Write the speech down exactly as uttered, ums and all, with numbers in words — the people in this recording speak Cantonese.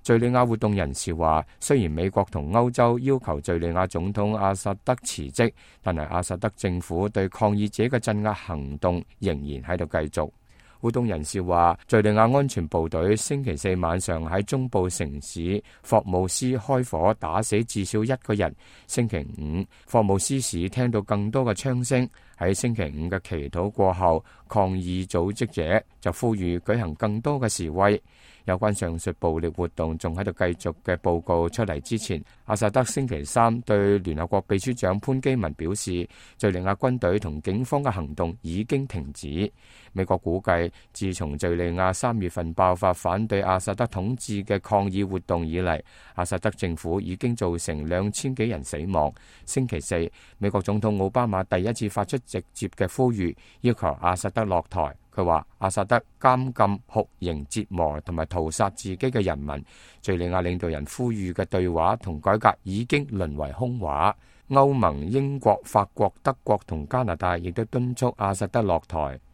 敘利亞活動人士話，雖然美國同歐洲要求敘利亞總統阿薩德辭職，但係阿薩德政府對抗議者嘅鎮壓行動仍然喺度繼續。活動人士話，敘利亞安全部隊星期四晚上喺中部城市霍姆斯開火，打死至少一個人。星期五，霍姆斯市聽到更多嘅槍聲。喺星期五嘅祈禱過後，抗議組織者就呼籲舉行更多嘅示威。有關上述暴力活動仲喺度繼續嘅報告出嚟之前，阿薩德星期三對聯合國秘書長潘基文表示，敘利亞軍隊同警方嘅行動已經停止。美國估計，自從敘利亞三月份爆發反對阿薩德統治嘅抗議活動以嚟，阿薩德政府已經造成兩千幾人死亡。星期四，美國總統奧巴馬第一次發出直接嘅呼籲，要求阿薩德落台。佢話阿薩德監禁、酷刑、折磨同埋屠殺自己嘅人民。敘利亞領導人呼籲嘅對話同改革已經淪為空話。歐盟、英國、法國、德國同加拿大亦都敦促阿薩德落台。